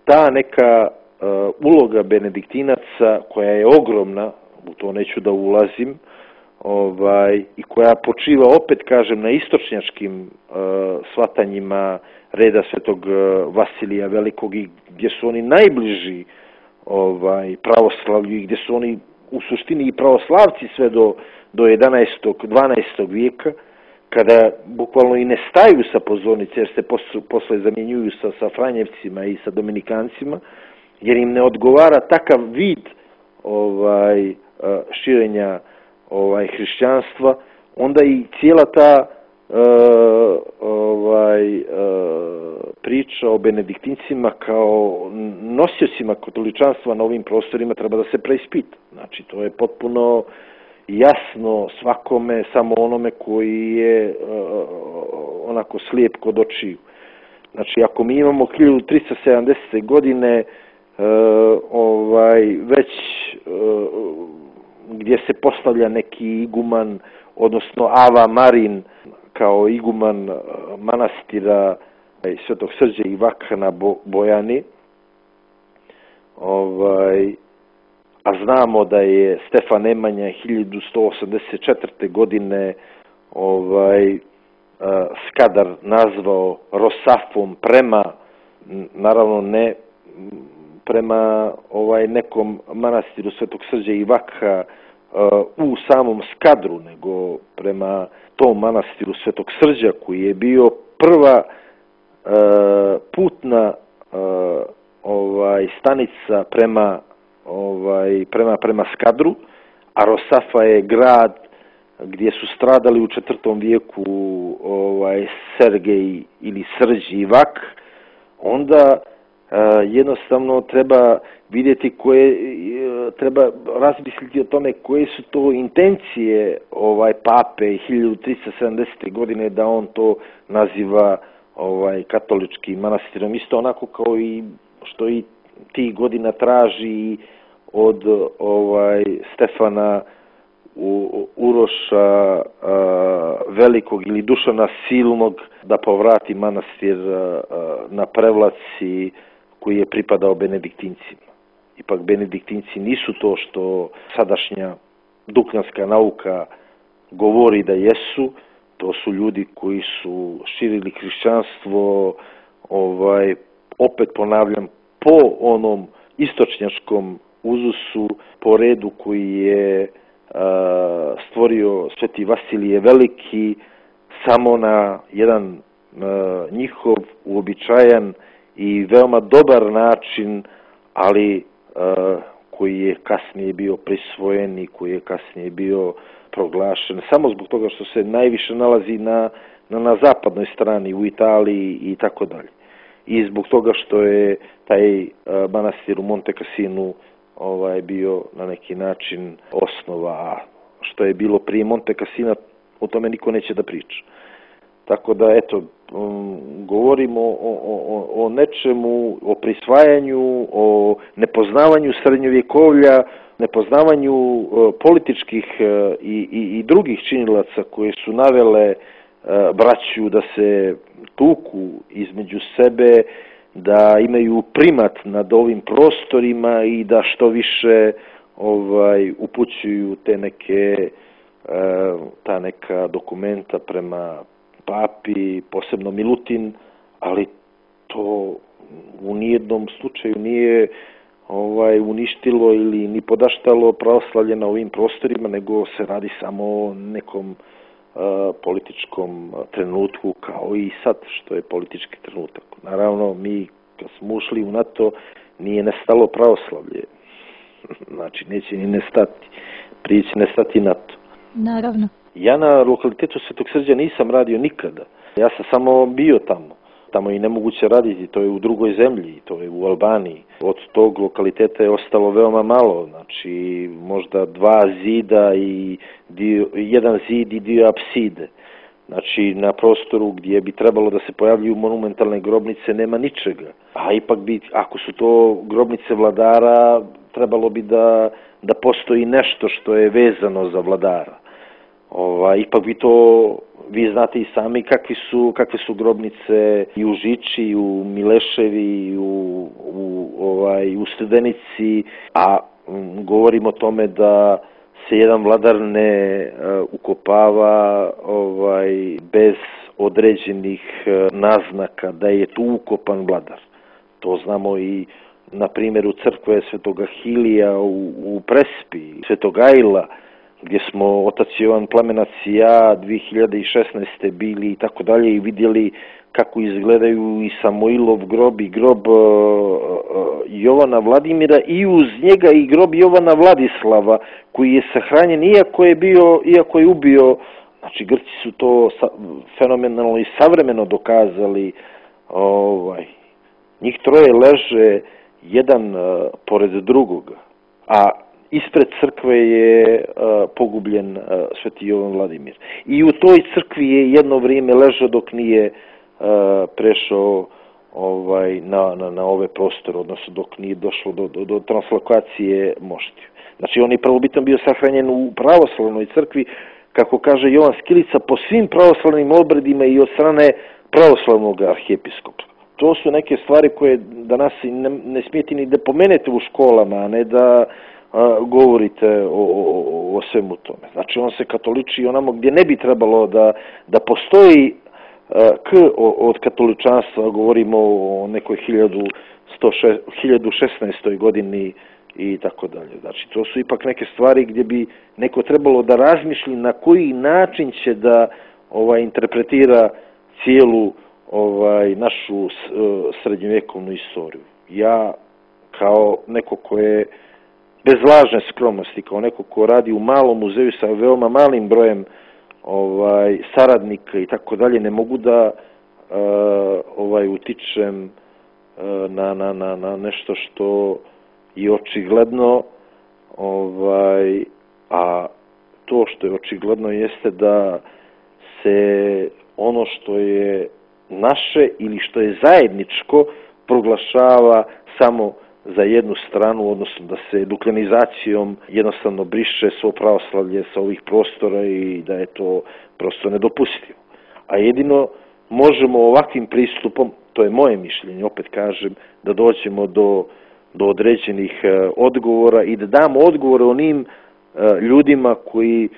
Ta neka uloga benediktinaca koja je ogromna, u to neću da ulazim, i koja počiva, opet kažem, na istočnjačkim shvatanjima reda Svetog Vasilija Velikog i gdje su oni najbliži pravoslavlju i gdje su oni u suštini i pravoslavci sve do 11. 12. vijeka, kada bukvalno i ne staju sa pozornice jer se posle zamjenjuju sa Franjevcima i sa Dominikancima, jer im ne odgovara takav vid širenja hrišćanstva, onda i cijela ta priča o benediktincima kao nosiocima katoličanstva na ovim prostorima treba da se preispita. Znači, to je potpuno jasno svakome, samo onome koji je onako slijep kod očiju. Znači, ako mi imamo 1370. godine već gdje se postavlja neki iguman, odnosno Ava Marin kao iguman manastira Svetog Srđa i Vakha na Bojani, a znamo da je Stefan Nemanja 1184. godine Skadar nazvao Rosafom prema, naravno ne prema nekom manastiru Svetog Srđa i Vakha u samom Skadru, nego prema tom manastiru Svetog Srđa koji je bio prva putna stanica prema Skadru, a Rosafa je grad gdje su stradali u 4. vijeku Sergej ili Srđ i Vak. Onda jednostavno treba vidjeti treba razmisliti o tome koje su to intencije pape 1370. godine da on to naziva katoličkim manastirom. Isto onako kao i što i tih godina traži od Stefana Uroša Velikog ili Dušana Silnog da povrati manastir na Prevlaci koji je pripadao benediktincima. Ipak benediktinci nisu to što sadašnja duknjanska nauka govori da jesu. To su ljudi koji su širili hrišćanstvo, opet ponavljam, po onom istočnjačkom uzusu, po redu koji je stvorio Sveti Vasilije Veliki, samo na jedan njihov uobičajan i veoma dobar način, ali koji je kasnije bio prisvojen i koji je kasnije bio proglašen, samo zbog toga što se najviše nalazi na zapadnoj strani, u Italiji i tako dalje. i zbog toga što je taj manastir u Monte Cassinu bio na neki način osnova, a što je bilo prije Monte Cassina, o tome niko neće da priča. Tako da, eto, govorimo o nečemu, o prisvajanju, o nepoznavanju srednjovjekovlja, nepoznavanju političkih i drugih činilaca koje su navele braću da se tuku između sebe, da imaju primat nad ovim prostorima i da što više upućuju ta neka dokumenta prema papi, posebno Milutin, ali to u nijednom slučaju nije uništilo ili ni podaštalo pravoslavlje na ovim prostorima, nego se radi samo o nekom političkom trenutku, kao i sad što je politički trenutak. Naravno, mi kad smo ušli u NATO, nije nestalo pravoslavlje. Znači, neće ni nestati. Prije će nestati NATO. Naravno. Ja na lokalitetu Svetog Srđa nisam radio nikada. Ja sam samo bio tamo. Tamo je nemoguće raditi, to je u drugoj zemlji, to je u Albaniji. Od tog lokaliteta je ostalo veoma malo, znači možda 2 zida i jedan zid i 2 apside. Znači na prostoru gdje bi trebalo da se pojavljuju monumentalne grobnice nema ničega. A ipak bi, ako su to grobnice vladara, trebalo bi da postoji nešto što je vezano za vladara. Ipak bi to, vi znate i sami kakve su grobnice i u Žiči, i u Mileševi, i u Studenici, a govorimo o tome da se jedan vladar ne ukopava bez određenih naznaka da je tu ukopan vladar. To znamo i na primjeru crkve Svetog Ahilija u Prespi, Svetog Ajla, gdje smo otac Jovan Plamenac i ja 2016. bili i tako dalje i vidjeli kako izgledaju i Samoilov grob i grob Jovana Vladimira i uz njega i grob Jovana Vladislava koji je sahranjen iako je ubio. Znači Grci su to fenomenalno i savremeno dokazali. Njih troje leže jedan pored drugoga, a ispred crkve je pogubljen Sveti Jovan Vladimir. I u toj crkvi je jedno vrijeme ležao dok nije prešao na ove prostore, odnosno dok nije došlo do translokacije moštiju. Znači on je prvobitan bio sahranjen u pravoslavnoj crkvi, kako kaže Jovan Skilica, po svim pravoslavnim obredima i od strane pravoslavnog arhijepiskopa. To su neke stvari koje danas ne smijete ni da pomenete u školama, a ne da govorite o svemu tome. Znači on se katoliči onamo gdje ne bi trebalo da postoji od katoličanstva, govorimo o nekoj 1016. godini i tako dalje. Znači to su ipak neke stvari gdje bi neko trebalo da razmišlji na koji način će da interpretira cijelu našu srednjovjekovnu istoriju. Ja kao neko ko je bez lažne skromnosti, kao neko ko radi u malom muzeju sa veoma malim brojem saradnika i tako dalje, ne mogu da utičem na nešto što je očigledno, a to što je očigledno jeste da se ono što je naše ili što je zajedničko proglašava samo za jednu stranu, odnosno da se duklenizacijom jednostavno briše svo pravoslavlje sa ovih prostora i da je to prosto nedopustivo. A jedino možemo ovakvim pristupom, to je moje mišljenje, opet kažem, da dođemo do određenih odgovora i da damo odgovore onim ljudima koji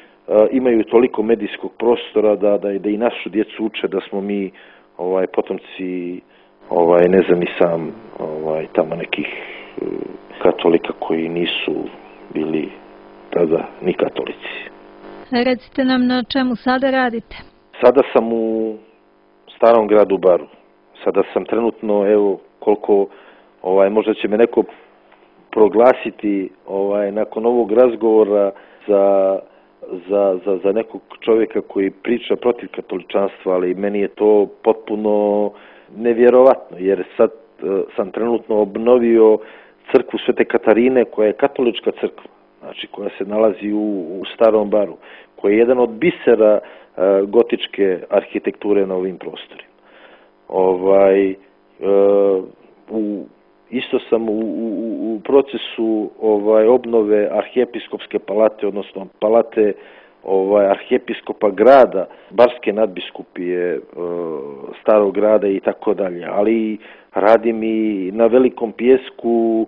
imaju toliko medijskog prostora da i našu djecu uče da smo mi potomci ne znam ni sam tamo nekih katolika koji nisu bili tada ni katolici. Recite nam na čemu sada radite? Sada sam u Starom gradu Baru. Sada sam trenutno, evo koliko, možda će me neko proglasiti nakon ovog razgovora za nekog čovjeka koji priča protiv katoličanstva, ali meni je to potpuno nevjerovatno, jer sad sam trenutno obnovio crkvu Svete Katarine, koja je katolička crkva, znači koja se nalazi u Starom Baru, koja je jedan od bisera gotičke arhitekture na ovim prostorima. Isto sam u procesu obnove arhijepiskopske palate, odnosno palate arhijepiskopa grada, Barske nadbiskupije, Starog grada i tako dalje, ali radim i na Velikom Pijesku,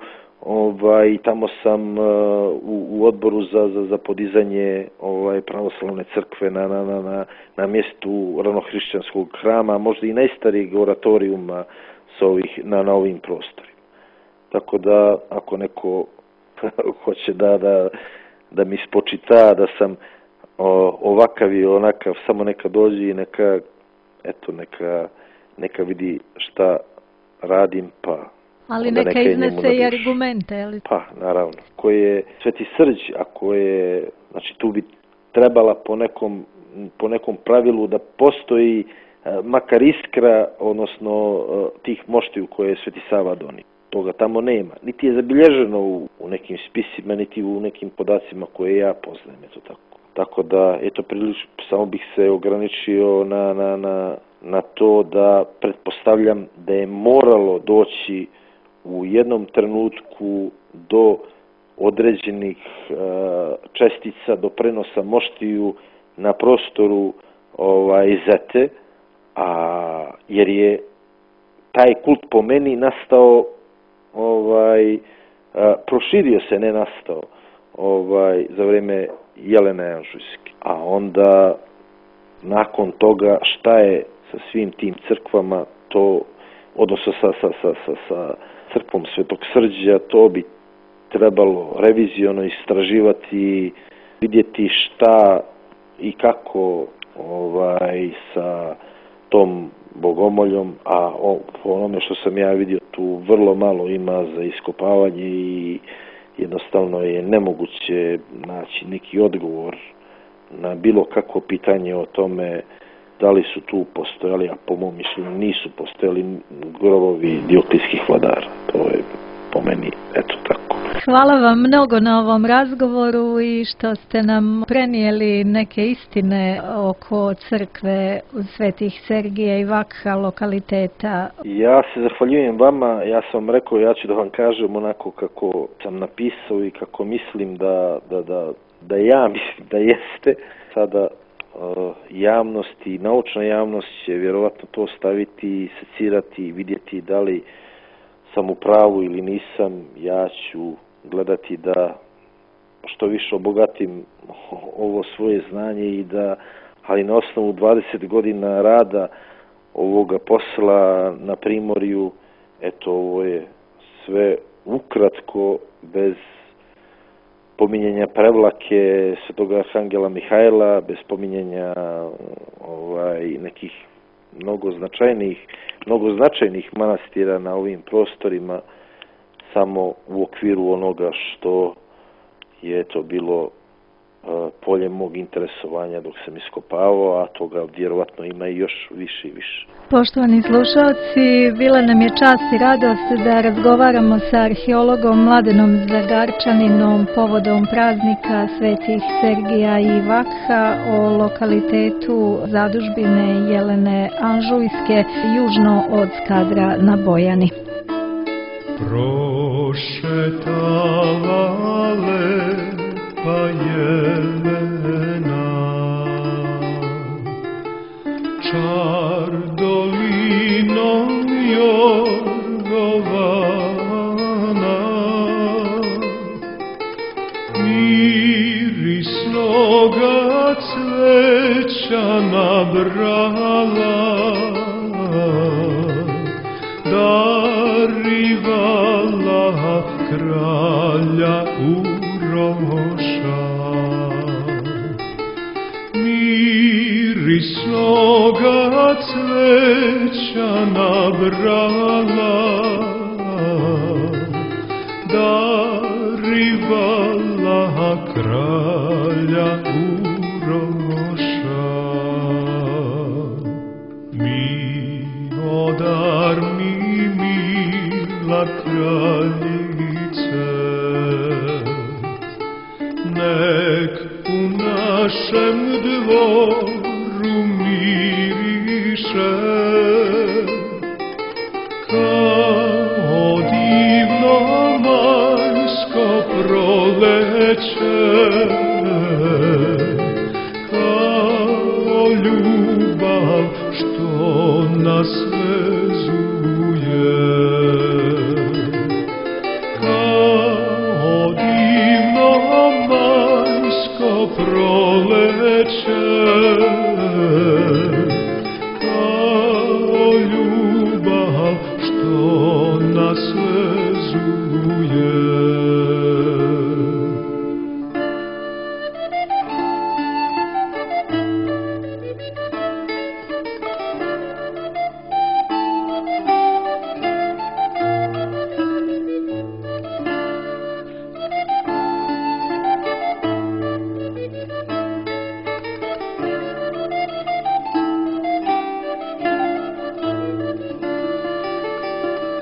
tamo sam u odboru za podizanje pravoslavne crkve na mjestu ranohrišćanskog hrama, možda i najstarijeg oratorijuma na ovim prostorima. Tako da, ako neko hoće da mi spočita da sam ovakav i onakav, samo neka dođe i neka vidi šta radim, pa... Ali neka iznese i argumente, ali... Pa, naravno. Ko je Sveti Srđ, ako je... Znači, tu bi trebala po nekom pravilu da postoji makar iskra, odnosno tih moštiju koje je Sveti Sava donio. Toga tamo nema. Niti je zabilježeno u nekim spisima, niti u nekim podacima koje ja poznajem, eto tako. Tako da, samo bih se ograničio na to da pretpostavljam da je moralo doći u jednom trenutku do određenih čestica, do prenosa moštiju na prostoru Zete, jer je taj kult po meni nastao, proširio se, ne nastao, za vrijeme Jelene Anžujske. A onda, nakon toga, šta je sa svim tim crkvama, odnosno sa crkvom Svetog Srđa, to bi trebalo reviziono istraživati, vidjeti šta i kako sa tom bogomoljom, a po onome što sam ja vidio, tu vrlo malo ima za iskopavanje i jednostavno je nemoguće naći neki odgovor na bilo kakvo pitanje o tome da li su tu postojali, a po mom mišljenju nisu postojali grobovi dioklijskih vladara. To je po meni, eto tako. Hvala vam mnogo na ovom razgovoru i što ste nam prenijeli neke istine oko crkve Svetih Sergija i Vakha, lokaliteta. Ja se zahvaljujem vama, ja sam vam rekao, ja ću da vam kažem onako kako sam napisao i kako mislim da ja mislim da jeste. Sada javnost i naučna javnost će vjerovatno to staviti, secirati i vidjeti da li sam u pravu ili nisam. Ja ću gledati da što više obogatim ovo svoje znanje ali na osnovu 20 godina rada ovoga posla na Primorju, eto, ovo je sve ukratko, bez pominjanja Prevlake, Svetog Arhangela Mihajla, bez pominjanja nekih mnogo značajnih manastira na ovim prostorima, samo u okviru onoga što je to bilo polje mog interesovanja dok sam iskopavao, a toga vjerovatno ima i još više i više. Poštovani slušalci, bila nam je čast i radost da razgovaramo sa arheologom Mladenom Zagarčaninom povodom praznika Svetih Sergija i Vakha o lokalitetu zadužbine Jelene Anžujske južno od Skadra na Bojani. Prošetala lepa Jelena, čar dolinom Jorgovana, mirisnoga cveća nabrala, darivala kralja Uroša. Mirisnoga cveća nabrala, darivala kralja Uroša. Mi nek u našem dvoru miriše kao divno majsko proleće, kao ljubav što nas vezuje, kao divno majsko proleće, kao ljubav što nas vezuje.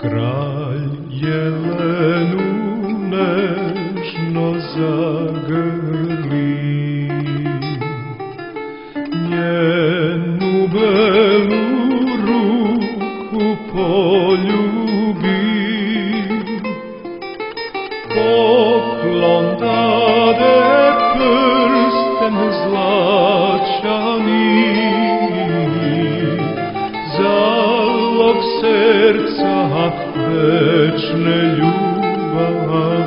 Kralj jelenu nežno zagrli, njenu belu ruku poljubi, poklon dade prsten zlačani, zalog srca večne ljubavi.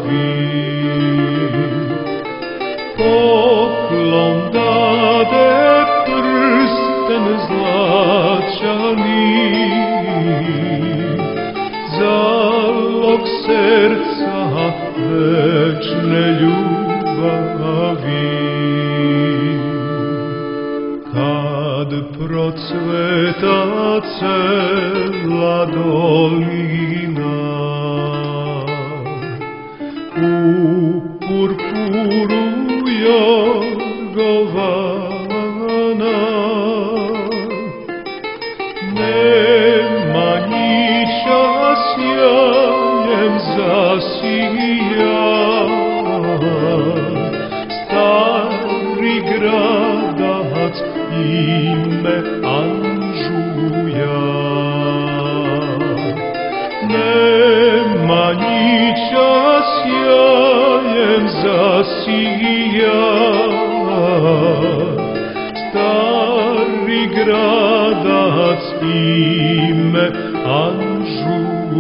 Poklon dade prsten zlačani, zalog srca večne ljubavi. Kad procveta cela dolina, u purpuru jorgovana, Nemanjića sjajem zasija, stari gradac ime Anžuja. Nemanjića sjajem zasija, stari gradac ime Anžuja.